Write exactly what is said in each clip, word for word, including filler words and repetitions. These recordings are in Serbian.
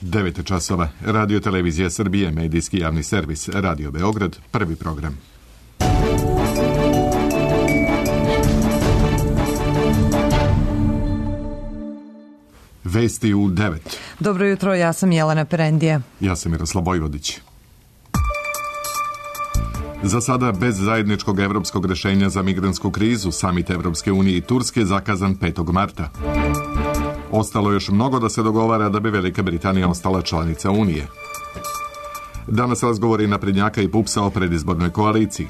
devet časova. Radio Televizija Srbije, medijski javni servis, Radio Beograd, prvi program. Vesti u devet. Dobro jutro, ja sam Jelena Perendije. Ja sam Miroslav Vojvodić. Za sada bez zajedničkog evropskog rešenja za migrantsku krizu, samit Evropske unije i Turske zakazan petog marta. Ostalo još mnogo da se dogovara da bi Velika Britanija ostala članica Unije. Danas razgovori naprednjaka i Pupsa o predizbornoj koaliciji.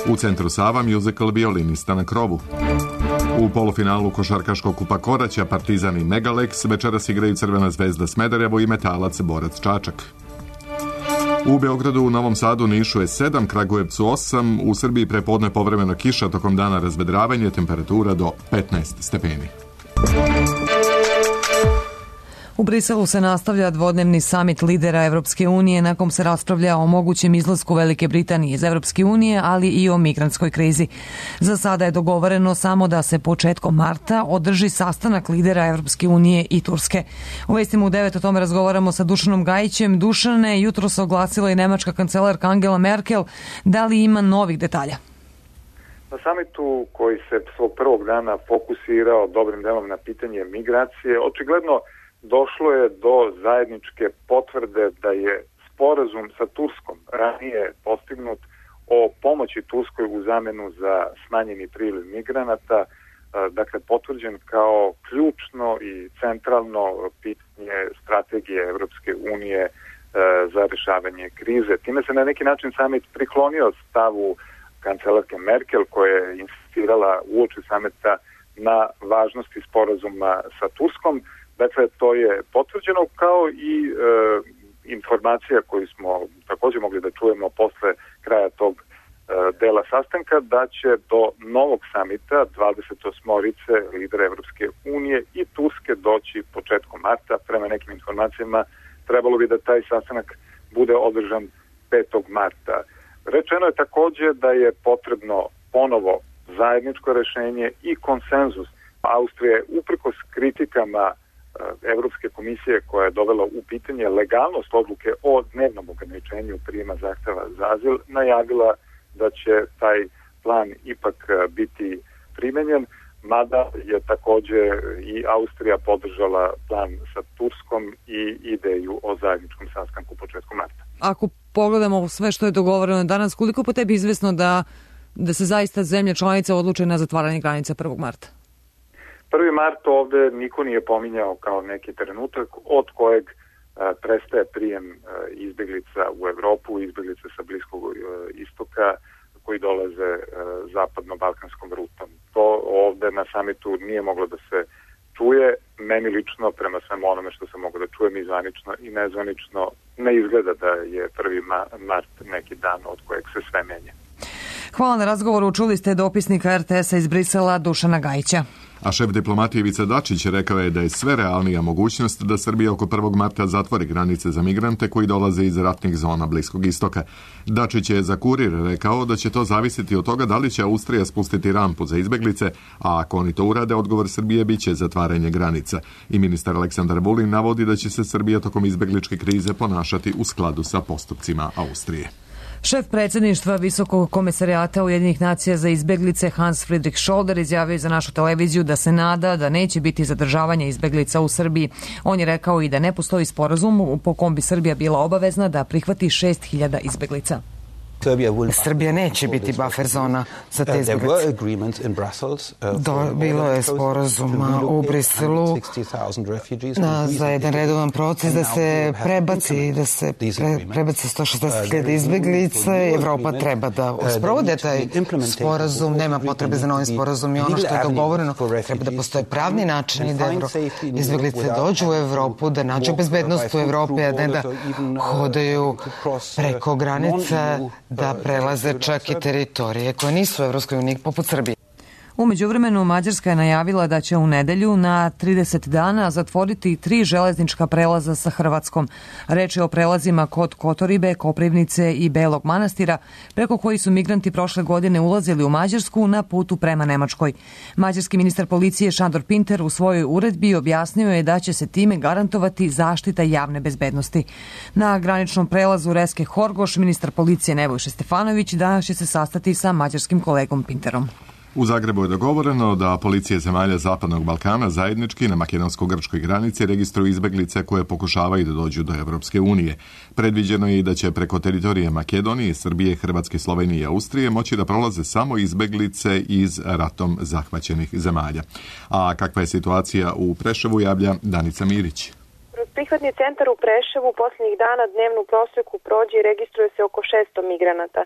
U centru Sava musical Violinista na krovu. U polufinalu košarkaškog kupa Koraća Partizan i Megalex večeras igraju Crvena zvezda Smederevo i Metalac Borac Čačak. U Beogradu, u Novom Sadu, Nišu je sedam, Kragujevcu osam, u Srbiji prepodne povremena kiša, tokom dana razvedravanje, temperatura do petnaest stepeni. U Briselu se nastavlja dvodnevni samit lidera Evropske unije, na kom se raspravlja o mogućem izlasku Velike Britanije iz Evropske unije, ali i o migrantskoj krizi. Za sada je dogovoreno samo da se početkom marta održi sastanak lidera Evropske unije i Turske. U vestima u devet o tome razgovaramo sa Dušanom Gajićem. Dušane, jutro se oglasila i nemačka kancelarka Angela Merkel. Da li ima novih detalja? Na samitu koji se svog prvog dana fokusirao dobrim delom na pitanje migracije, očigledno došlo je do zajedničke potvrde da je sporazum sa Turskom ranije postignut o pomoći Turskoj u zamenu za smanjeni priliv migranata, dakle potvrđen kao ključno i centralno pitanje strategije Evropske unije za rešavanje krize. Time se na neki način samit priklonio stavu kancelarke Merkel, koja je insistirala uoči samita na važnosti sporazuma sa Turskom. Dakle, to je potvrđeno, kao i e, informacija koju smo također mogli da čujemo posle kraja tog e, dela sastanka, da će do novog samita dvadeset osmorice lidera Evropske unije i Turske doći početkom marta. Prema nekim informacijama trebalo bi da taj sastanak bude održan petog marta. Rečeno je također da je potrebno ponovo zajedničko rešenje i konsenzus. Austrija je uprkos kritikama Evropske komisije, koja je dovela u pitanje legalnost odluke o dnevnom ograničenju prijema zahteva za azil, najavila da će taj plan ipak biti primenjen, mada je također i Austrija podržala plan sa Turskom i ideju o zajedničkom sastanku početkom marta. Ako pogledamo sve što je dogovoreno danas, koliko po tebi izvesno da, da se zaista zemlje članice odluče na zatvaranje granica prvog marta? prvi mart ovde niko nije pominjao kao neki trenutak od kojeg a, prestaje prijem a, izbeglica u Evropu, izbeglica sa Bliskog a, istoka koji dolaze a, zapadno-balkanskom rutom. To ovde na samitu nije moglo da se čuje. Meni lično, prema svemu onome što sam mogao da čujem i zvanično i nezvanično, ne izgleda da je prvi mart neki dan od kojeg se sve menja. Hvala na razgovoru. Čuli ste dopisnika er te es a iz Brisela Dušana Gajića. A šef diplomatije Ivica Dačić rekao je da je sve realnija mogućnost da Srbija oko prvog marta zatvori granice za migrante koji dolaze iz ratnih zona Bliskog istoka. Dačić je za Kurir rekao da će to zavisiti od toga da li će Austrija spustiti rampu za izbeglice, a ako oni to urade, odgovor Srbije biće zatvaranje granica. I ministar Aleksandar Vulin navodi da će se Srbija tokom izbegličke krize ponašati u skladu sa postupcima Austrije. Šef predsjedništva Visokog komesarijata Ujedinjenih nacija za izbeglice Hans Friedrich Scholder izjavio za našu televiziju da se nada da neće biti zadržavanja izbeglica u Srbiji. On je rekao i da ne postoji sporazum po kom bi Srbija bila obavezna da prihvati šest hiljada izbeglica. Srbija neće biti buffer zona za te izbeglice. Do, bilo je sporazuma u Briselu na, za jedan redovan proces da se prebaci, da se pre, prebaci sto šezdeset hiljada izbeglica. Evropa treba da sprovode taj sporazum, nema potrebe za novim sporazum i ono što je dogovoreno, treba da postoje pravni načini da Evro, izbeglice dođu u Evropu, da nađu bezbednost u Evropi, a ne da hodaju preko granica, da prelaze čak i teritorije koje nisu u Evropskoj uniji poput Srbije. U međuvremenu Mađarska je najavila da će u nedelju na trideset dana zatvoriti tri železnička prelaza sa Hrvatskom. Reč je o prelazima kod Kotoribe, Koprivnice i Belog Manastira, preko koji su migranti prošle godine ulazili u Mađarsku na putu prema Nemačkoj. Mađarski ministar policije Šandor Pinter u svojoj uredbi objasnio je da će se time garantovati zaštita javne bezbednosti. Na graničnom prelazu Reske Horgoš ministar policije Nebojša Stefanović danas će se sastati sa mađarskim kolegom Pinterom. U Zagrebu je dogovoreno da policije zemalja Zapadnog Balkana zajednički na makedonsko-grčkoj granici registruju izbeglice koje pokušavaju da dođu do Evropske unije. Predviđeno je i da će preko teritorije Makedonije, Srbije, Hrvatske, Slovenije i Austrije moći da prolaze samo izbeglice iz ratom zahvaćenih zemalja. A kakva je situacija u Preševu, javlja Danica Mirić. Kroz prihvatni centar u Preševu posljednjih dana dnevnu prosjeku prođe i registruje se oko šesto migranata.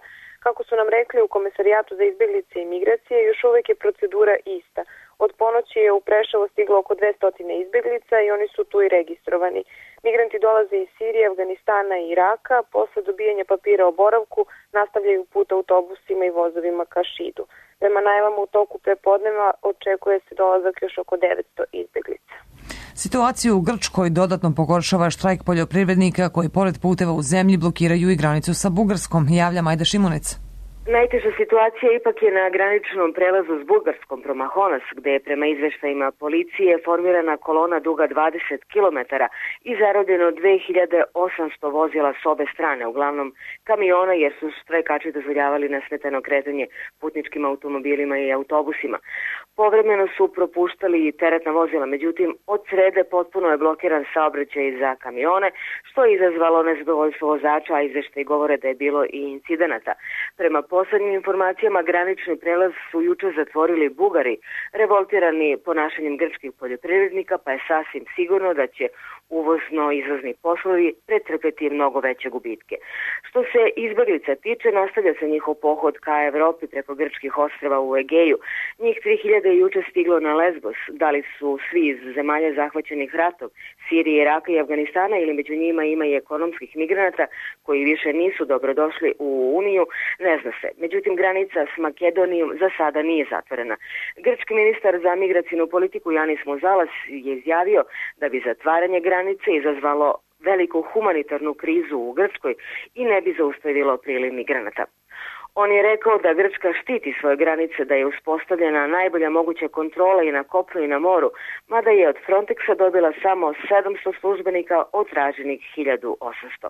Kako su nam rekli u Komesarijatu za izbjeglice i migracije, još uvijek je procedura ista. Od ponoći je u Preševo stiglo oko dvesta izbjeglica i oni su tu i registrovani. Migranti dolaze iz Sirije, Afganistana i Iraka. Posle dobijanja papira o boravku nastavljaju put autobusima i vozovima ka Šidu. Prema najavama u toku prepodneva očekuje se dolazak još oko devetsto izbjeglica. Situaciju u Grčkoj dodatno pogoršava štrajk poljoprivrednika koji pored puteva u zemlji blokiraju i granicu sa Bugarskom, javlja Majda Šimunec. Najteža situacija ipak je na graničnom prelazu s Bugarskom Promahonas, gde je prema izveštajima policije formirana kolona duga dvadeset kilometara i zarobljeno dve hiljade osamsto vozila s obe strane, uglavnom kamiona, jer su štrajkači dozvoljavali nesmetano kretanje putničkim automobilima i autobusima. Povremeno su propuštali i teretna vozila, međutim od srede potpuno je blokiran saobraćaj za kamione, što je izazvalo nezadovoljstvo vozača, a izveštaj govore da je bilo i incidenata. Prema poslednjim informacijama granični prelaz su juče zatvorili Bugari, revoltirani ponašanjem grčkih poljoprivrednika, pa je sasvim sigurno da će uvozno-izvozni poslovi pretrpeti mnogo veće gubitke. Što se izbeglica tiče, nastavlja se njihov pohod ka Evropi preko grčkih ostrva u Egeju. Njih tri hiljade je juče stiglo na Lesbos. Da li su svi iz zemalja zahvaćenih ratom, Sirije, Iraka i Afganistana, ili među njima ima i ekonomskih migranata koji više nisu dobrodošli u Uniju, ne zna se. Međutim, granica s Makedonijom za sada nije zatvorena. Grčki ministar za migracijnu politiku Janis Muzalas je izjavio da bi zatvaranje granice izazvalo veliku humanitarnu krizu u Grčkoj i ne bi zaustavilo priliv migranata. On je rekao da Grčka štiti svoje granice, da je uspostavljena najbolja moguća kontrola i na kopnu i na moru, mada je od Frontexa dobila samo sedamsto službenika od traženih hiljadu osamsto.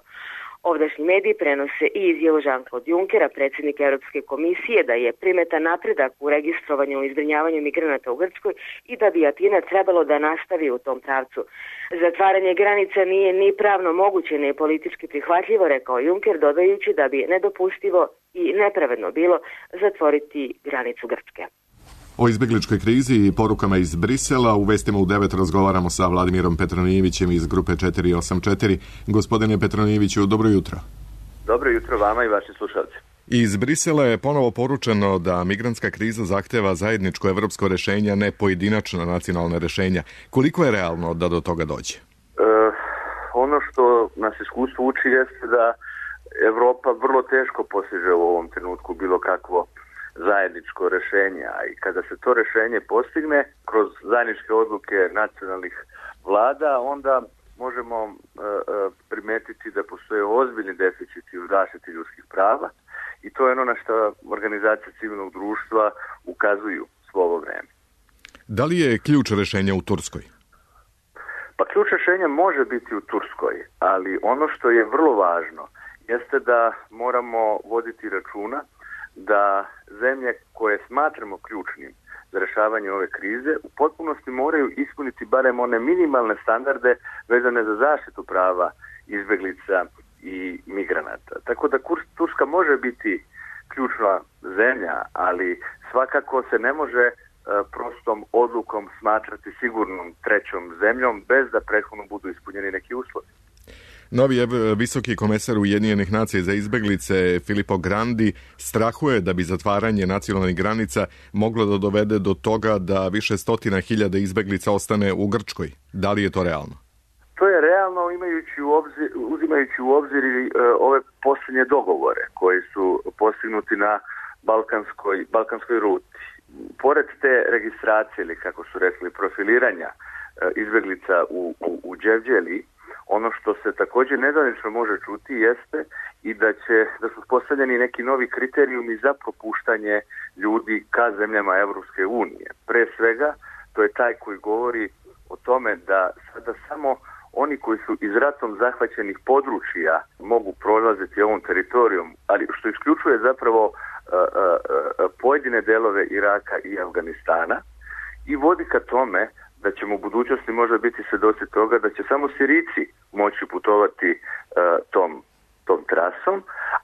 Ovdašnji mediji prenose i izjavu Jean-Claude Junckera, predsjednika Europske komisije, da je primetan napredak u registrovanju i zbrinjavanju migranata u Grčkoj i da bi Atina trebalo da nastavi u tom pravcu. Zatvaranje granica nije ni pravno moguće, ni politički prihvatljivo, rekao Juncker, dodajući da bi nedopustivo i nepravedno bilo zatvoriti granicu Grčke. O izbjegličkoj krizi i porukama iz Brisela u Vestima u devet razgovaramo sa Vladimirom Petronijevićem iz grupe četiri osam četiri. Gospodine Petronijeviću, dobro jutro. Dobro jutro vama i vašim slušalcima. Iz Brisela je ponovo poručeno da migrantska kriza zahteva zajedničko evropsko rešenje, ne pojedinačna nacionalna rešenja. Koliko je realno da do toga dođe? E, ono što nas iskustvo uči jeste da Evropa vrlo teško postiže u ovom trenutku bilo kakvo zajedničko rešenje, a i kada se to rešenje postigne kroz zajedničke odluke nacionalnih vlada, onda možemo e, e, primetiti da postoje ozbiljni deficiti u zaštiti ljudskih prava i to je ono na što organizacije civilnog društva ukazuju svo ovo vreme. Da li je ključ rešenja u Turskoj? Pa ključ rešenja može biti u Turskoj, ali ono što je vrlo važno jeste da moramo voditi računa da zemlje koje smatramo ključnim za rešavanje ove krize u potpunosti moraju ispuniti barem one minimalne standarde vezane za zaštitu prava izbeglica i migranata. Tako da Turska može biti ključna zemlja, ali svakako se ne može prostom odlukom smatrati sigurnom trećom zemljom bez da prethodno budu ispunjeni neki uslovi. Novi visoki komesar Ujedinjenih nacija za izbeglice Filippo Grandi strahuje da bi zatvaranje nacionalnih granica moglo da dovede do toga da više stotina hiljada izbeglica ostane u Grčkoj. Da li je to realno? To je realno imajući u obzir, uzimajući u obzir i, e, ove posljednje dogovore koji su postignuti na balkanskoj, balkanskoj ruti. pored te registracije ili kako su rekli profiliranja izbjeglica u, u, u Đevđeli, ono što se također nedavnično može čuti jeste i da će da su postavljeni neki novi kriterijumi za propuštanje ljudi ka zemljama Evropske unije. Pre svega, to je taj koji govori o tome da sada samo oni koji su iz ratom zahvaćenih područja mogu prolaziti ovom teritorijom, ali što isključuje zapravo uh, uh, pojedine delove Iraka i Afganistana i vodi ka tome da ćemo u budućnosti možda biti svedoci toga da će samo Sirijci moći putovati uh, tom, tom trasom,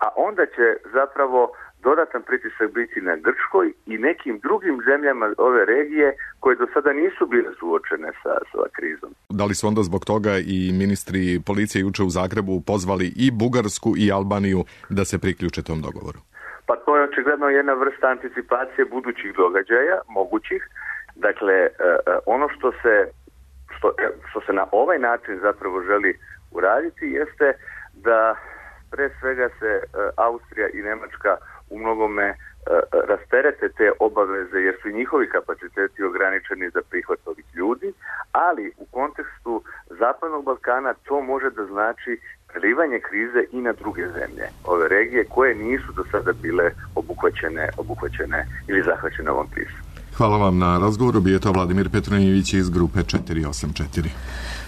a onda će zapravo dodatan pritisak biti na Grčkoj i nekim drugim zemljama ove regije koje do sada nisu bile suočene sa, sa krizom. Da li su onda zbog toga i ministri policije juče u Zagrebu pozvali i Bugarsku i Albaniju da se priključe tom dogovoru? Pa to je očigledno jedna vrsta anticipacije budućih događaja, mogućih. Dakle, ono što se, što, što se na ovaj način zapravo želi uraditi jeste da pre svega se Austrija i Nemačka u mnogome rasterete te obaveze jer su i njihovi kapaciteti ograničeni za prihvat ovih ljudi, ali u kontekstu Zapadnog Balkana to može da znači prelivanje krize i na druge zemlje ove regije koje nisu do sada bile obuhvaćene, obuhvaćene ili zahvaćene ovom krizom. Hvala vam na razgovoru. Bio je to Vladimir Petronijević iz grupe četiri osam četiri.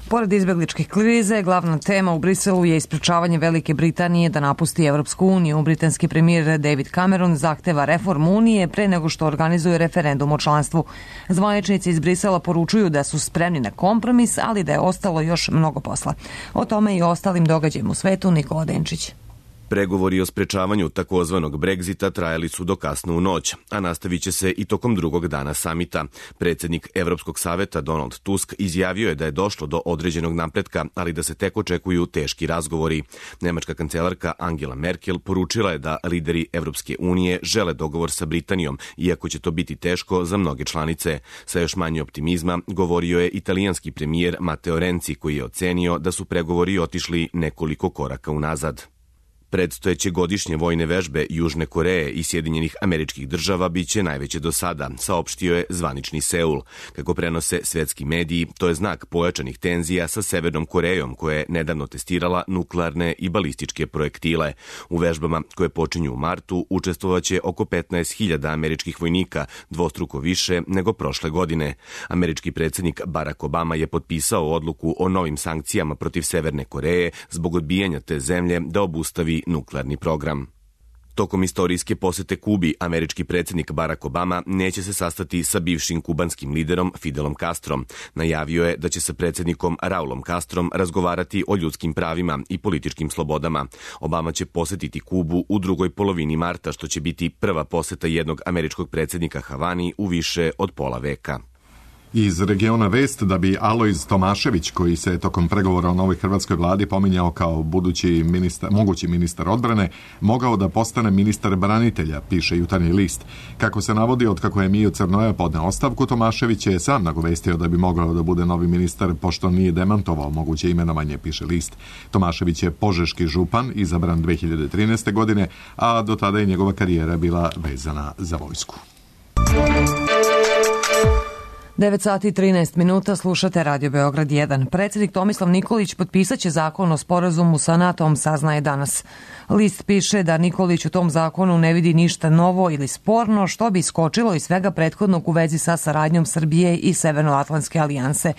Pored izbjegličkih krize, glavna tema u Briselu je ispričavanje Velike Britanije da napusti Evropsku uniju. Britanski premijer David Cameron zahteva reformu Unije pre nego što organizuje referendum o članstvu. Zvaničnici iz Brisela poručuju da su spremni na kompromis, ali da je ostalo još mnogo posla. O tome i ostalim događajima u svetu Nikola Denčić. Pregovori o sprečavanju takozvanog Brexita trajali su do kasno u noć, a nastavit će se i tokom drugog dana samita. Predsjednik Evropskog saveta Donald Tusk izjavio je da je došlo do određenog napretka, ali da se tek očekuju teški razgovori. Nemačka kancelarka Angela Merkel poručila je da lideri Evropske unije žele dogovor sa Britanijom, iako će to biti teško za mnoge članice. Sa još manje optimizma govorio je italijanski premijer Matteo Renzi, koji je ocenio da su pregovori otišli nekoliko koraka unazad. Predstojeće godišnje vojne vežbe Južne Koreje i Sjedinjenih Američkih Država biće najveće do sada, saopštio je zvanični Seul. Kako prenose svetski mediji, to je znak pojačanih tenzija sa Severnom Korejom, koja je nedavno testirala nuklearne i balističke projektile. U vežbama koje počinju u martu učestvovaće oko petnaest hiljada američkih vojnika, dvostruko više nego prošle godine. Američki predsjednik Barack Obama je potpisao odluku o novim sankcijama protiv Severne Koreje zbog odbijanja te zemlje da obustavi nuklearni program. Tokom istorijske posete Kubi, američki predsjednik Barack Obama neće se sastati sa bivšim kubanskim liderom Fidelom Castrom. Najavio je da će sa predsjednikom Raulom Castrom razgovarati o ljudskim pravima i političkim slobodama. Obama će posetiti Kubu u drugoj polovini marta, što će biti prva poseta jednog američkog predsjednika Havani u više od pola veka. Iz regiona vest da bi Alojz Tomašević, koji se tokom pregovora o novoj hrvatskoj vladi pominjao kao budući ministar, mogući ministar odbrane, mogao da postane ministar branitelja, piše Jutarnji list. Kako se navodi, od kako je Mio Crnoja podneo ostavku, Tomašević je sam nagovestio da bi mogao da bude novi ministar, pošto nije demantovao moguće imenovanje, piše list. Tomašević je požeški župan, izabran dve hiljade trinaeste. godine, a do tada je njegova karijera bila vezana za vojsku. devet sati i trinaest minuta, slušate Radio Beograd jedan. Predsjednik Tomislav Nikolić potpisat će zakon o sporazumu sa NATO-om, saznaje danas. List piše da Nikolić u tom zakonu ne vidi ništa novo ili sporno, što bi iskočilo iz svega prethodnog u vezi sa saradnjom Srbije i Severnoatlantske alijanse.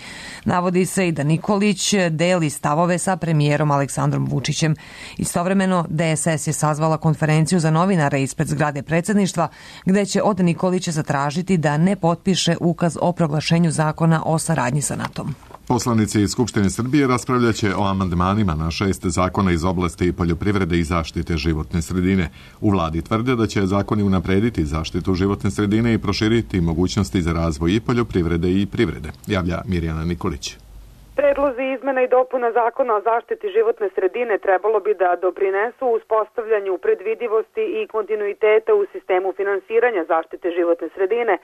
Navodi se i da Nikolić deli stavove sa premijerom Aleksandrom Vučićem. Istovremeno, D S S je sazvala konferenciju za novinare ispred zgrade predsjedništva, gde će od Nikolića zatražiti da ne potpiše ukaz o proglašenju zakona o saradnji sa NATO-om. Poslanici iz Skupštine Srbije raspravljaće o amandmanima na šest zakona iz oblasti poljoprivrede i zaštite životne sredine. U vladi tvrde da će zakoni unaprediti zaštitu životne sredine i proširiti mogućnosti za razvoj i poljoprivrede i privrede, javlja Mirjana Nikolić. Predlozi izmena i dopuna zakona o zaštiti životne sredine trebalo bi da doprinesu uspostavljanju predvidivosti i kontinuiteta u sistemu finansiranja zaštite životne sredine,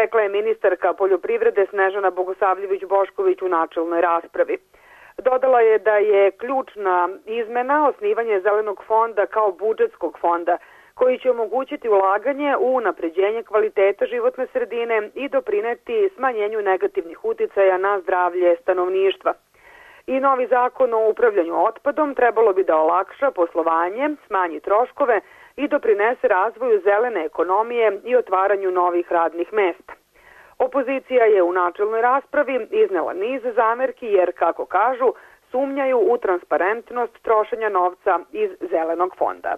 rekla je ministarka poljoprivrede Snežana Bogosavljević-Bošković u načelnoj raspravi. Dodala je da je ključna izmena osnivanje Zelenog fonda kao budžetskog fonda koji će omogućiti ulaganje u unapređenje kvaliteta životne sredine i doprineti smanjenju negativnih uticaja na zdravlje stanovništva. I novi zakon o upravljanju otpadom trebalo bi da olakša poslovanje, smanji troškove i doprinese razvoju zelene ekonomije i otvaranju novih radnih mesta. Opozicija je u načelnoj raspravi iznela niz zamerki jer, kako kažu, sumnjaju u transparentnost trošenja novca iz Zelenog fonda.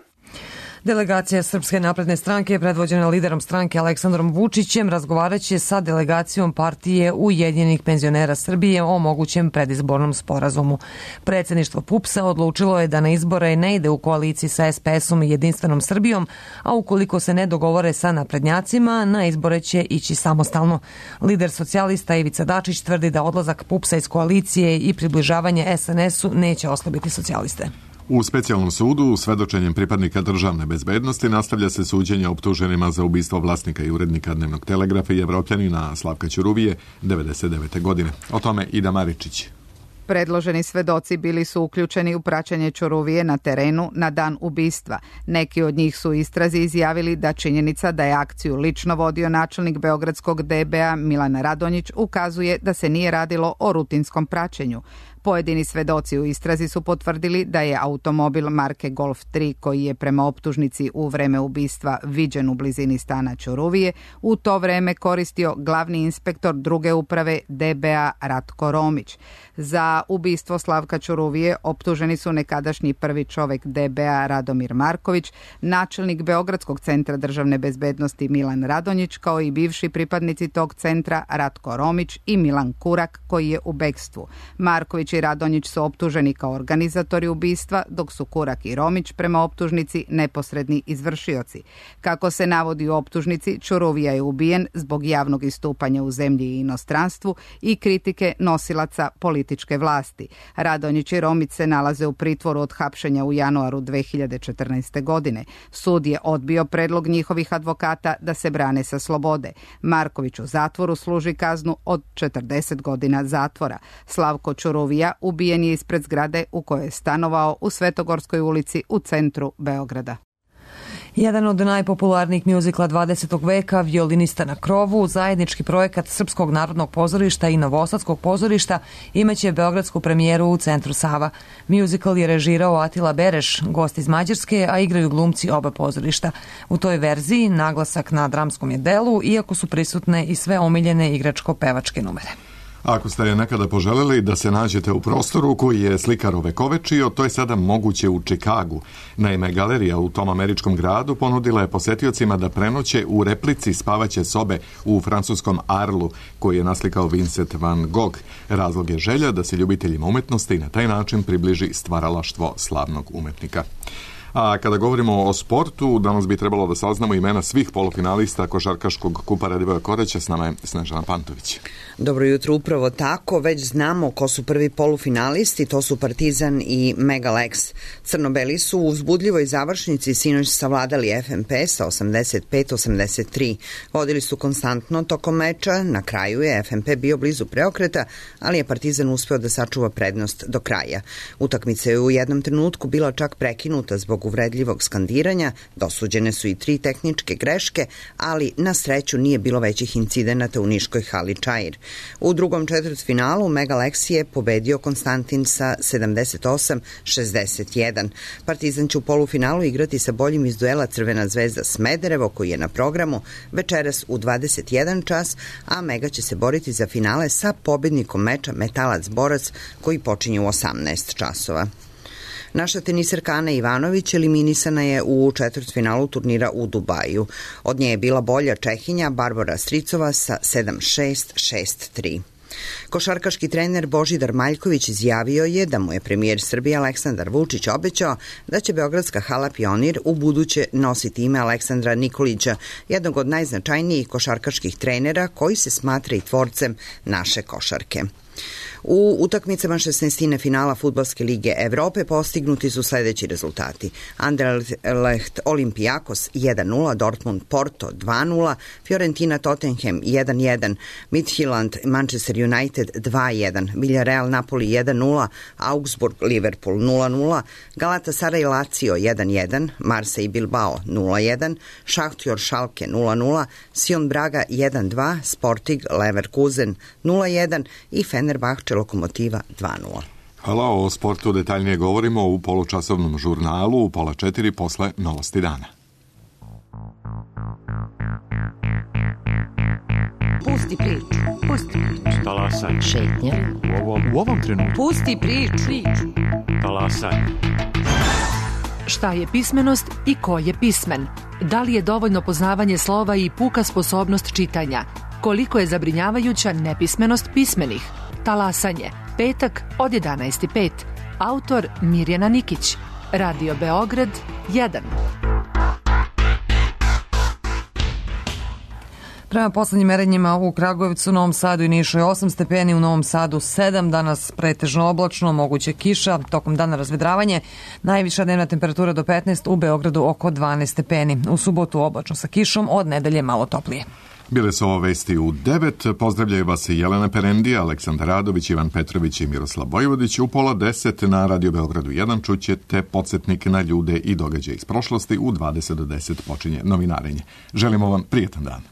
Delegacija Srpske napredne stranke, predvođena liderom stranke Aleksandrom Vučićem, razgovaraće sa delegacijom partije Ujedinjenih penzionera Srbije o mogućem predizbornom sporazumu. Predsjedništvo PUPS-a odlučilo je da na izbore ne ide u koaliciji sa es pe esom i Jedinstvenom Srbijom, a ukoliko se ne dogovore sa naprednjacima, na izbore će ići samostalno. Lider socijalista Ivica Dačić tvrdi da odlazak PUPS-a iz koalicije i približavanje es en esu neće oslabiti socijaliste. U specijalnom sudu, svedočenjem pripadnika državne bezbednosti, nastavlja se suđenje optuženima za ubistvo vlasnika i urednika Dnevnog telegrafa i Evropljanina Slavka Ćuruvije devedeset devete. godine. O tome Ida Maričić. Predloženi svedoci bili su uključeni u praćenje Ćuruvije na terenu na dan ubistva. Neki od njih su u istrazi izjavili da činjenica da je akciju lično vodio načelnik beogradskog de be a Milan Radonjić ukazuje da se nije radilo o rutinskom praćenju. Pojedini svedoci u istrazi su potvrdili da je automobil marke Golf tri, koji je prema optužnici u vreme ubistva viđen u blizini stana Ćuruvije, u to vreme koristio glavni inspektor druge uprave de be a Ratko Romić. Za ubistvo Slavka Ćuruvije optuženi su nekadašnji prvi čovek de be a Radomir Marković, načelnik Beogradskog centra državne bezbednosti Milan Radonjić, kao i bivši pripadnici tog centra Ratko Romić i Milan Kurak, koji je u bekstvu. Marković i Radonjić su optuženi kao organizatori ubistva, dok su Kurak i Romić prema optužnici neposredni izvršioci. Kako se navodi u optužnici, Ćuruvija je ubijen zbog javnog istupanja u zemlji i inostranstvu i kritike nosilaca političke vlasti. Radonjić i Romić se nalaze u pritvoru od hapšenja u januaru dve hiljade četrnaeste. godine. Sud je odbio predlog njihovih advokata da se brane sa slobode. Marković u zatvoru služi kaznu od četrdeset godina zatvora. Slavko Ćuruvija ubijen je ispred zgrade u kojoj je stanovao u Svetogorskoj ulici u centru Beograda. Jedan od najpopularnijih mjuzikla dvadesetog veka, Violinista na krovu, zajednički projekat Srpskog narodnog pozorišta i Novosadskog pozorišta, imaće beogradsku premijeru u Centru Sava. Mjuzikl je režirao Atila Bereš, gost iz Mađarske, a igraju glumci oba pozorišta. U toj verziji naglasak na dramskom je delu, iako su prisutne i sve omiljene igračko-pevačke numere. Ako ste nekada poželjeli da se nađete u prostoru koji je slikar ovekovečio, to je sada moguće u Čikagu. Naime, galerija u tom američkom gradu ponudila je posetiocima da prenoće u replici spavaće sobe u francuskom Arlu, koji je naslikao Vincent van Gogh. Razlog je želja da se ljubiteljima umetnosti na taj način približi stvaralaštvo slavnog umetnika. A kada govorimo o sportu, danas bi trebalo da saznamo imena svih polufinalista košarkaškog kupa Radivoja Koreća. S nama je Snežana Pantović. Dobro jutro, upravo tako. Već znamo ko su prvi polufinalisti, to su Partizan i Megalex. Crnobeli su u uzbudljivoj završnici sinoć savladali ef em pe sa osamdeset pet osamdeset tri. Vodili su konstantno tokom meča, na kraju je ef em pe bio blizu preokreta, ali je Partizan uspeo da sačuva prednost do kraja. Utakmica je u jednom trenutku bila čak prekinuta zbog uvredljivog skandiranja, dosuđene su i tri tehničke greške, ali na sreću nije bilo većih incidenata u niškoj hali Čair. U drugom četvrtfinalu Megalex je pobedio Konstantin sa sedamdeset osam šezdeset jedan. Partizan će u polufinalu igrati sa boljim iz duela Crvena zvezda Smederevo, koji je na programu večeras u dvadeset jedan čas, a Mega će se boriti za finale sa pobednikom meča Metalac Borac, koji počinje u osamnaest časova. Naša teniserka Ana Ivanović eliminisana je u četvrtfinalu turnira u Dubaju. Od nje je bila bolja Čehinja Barbara Stricova sa sedam šest šest tri. Košarkaški trener Božidar Maljković izjavio je da mu je premijer Srbije Aleksandar Vučić obećao da će beogradska hala Pionir u buduće nositi ime Aleksandra Nikolića, jednog od najznačajnijih košarkaških trenera koji se smatra i tvorcem naše košarke. U utakmicama šesnaestine finala Fudbalske lige Evrope postignuti su sledeći rezultati. Anderlecht Olympiakos jedan nula, Dortmund Porto dva nula, Fiorentina Tottenham jedan jedan, Midtjylland Manchester United dva jedan, Villarreal Napoli jedan nula, Augsburg Liverpool nula nula, Galatasaray Lazio jedan jedan, Marseille Bilbao nula jedan, Šahtjor Schalke nula nula, Sion Braga jedan dva, Sporting Leverkusen nula jedan i Fenerbahče Lokomotiva dva nula. Hvala, o sportu detaljnije govorimo u polučasovnom žurnalu u pola četiri posle Novosti dana. Pusti priču, pusti priču. Talasaj. Šetnja. U ovom, u ovom trenutku. Pusti priču. priču. Talasaj. Šta je pismenost i ko je pismen? Da li je dovoljno poznavanje slova i puka sposobnost čitanja? Koliko je zabrinjavajuća nepismenost pismenih? Talasanje. Petak od jedanaest i pet. Autor Mirjana Nikić. Radio Beograd jedan. Prema poslednjim merenjima u Kragujevcu, Novom Sadu i Nišu je osam stepeni, u Novom Sadu sedam, danas pretežno oblačno, moguće kiša, tokom dana razvedravanje, najviša dnevna temperatura do petnaest, u Beogradu oko dvanaest stepeni. U subotu oblačno sa kišom, od nedelje malo toplije. Bile su ovo vesti u devet. Pozdravljaju vas i Jelena Perendija, Aleksandar Radović, Ivan Petrović i Miroslav Vojvodić. U pola deset na Radio Beogradu jedan čućete podsjetnik na ljude i događaje iz prošlosti. U dvadeset do deset počinje novinarenje. Želimo vam prijetan dan.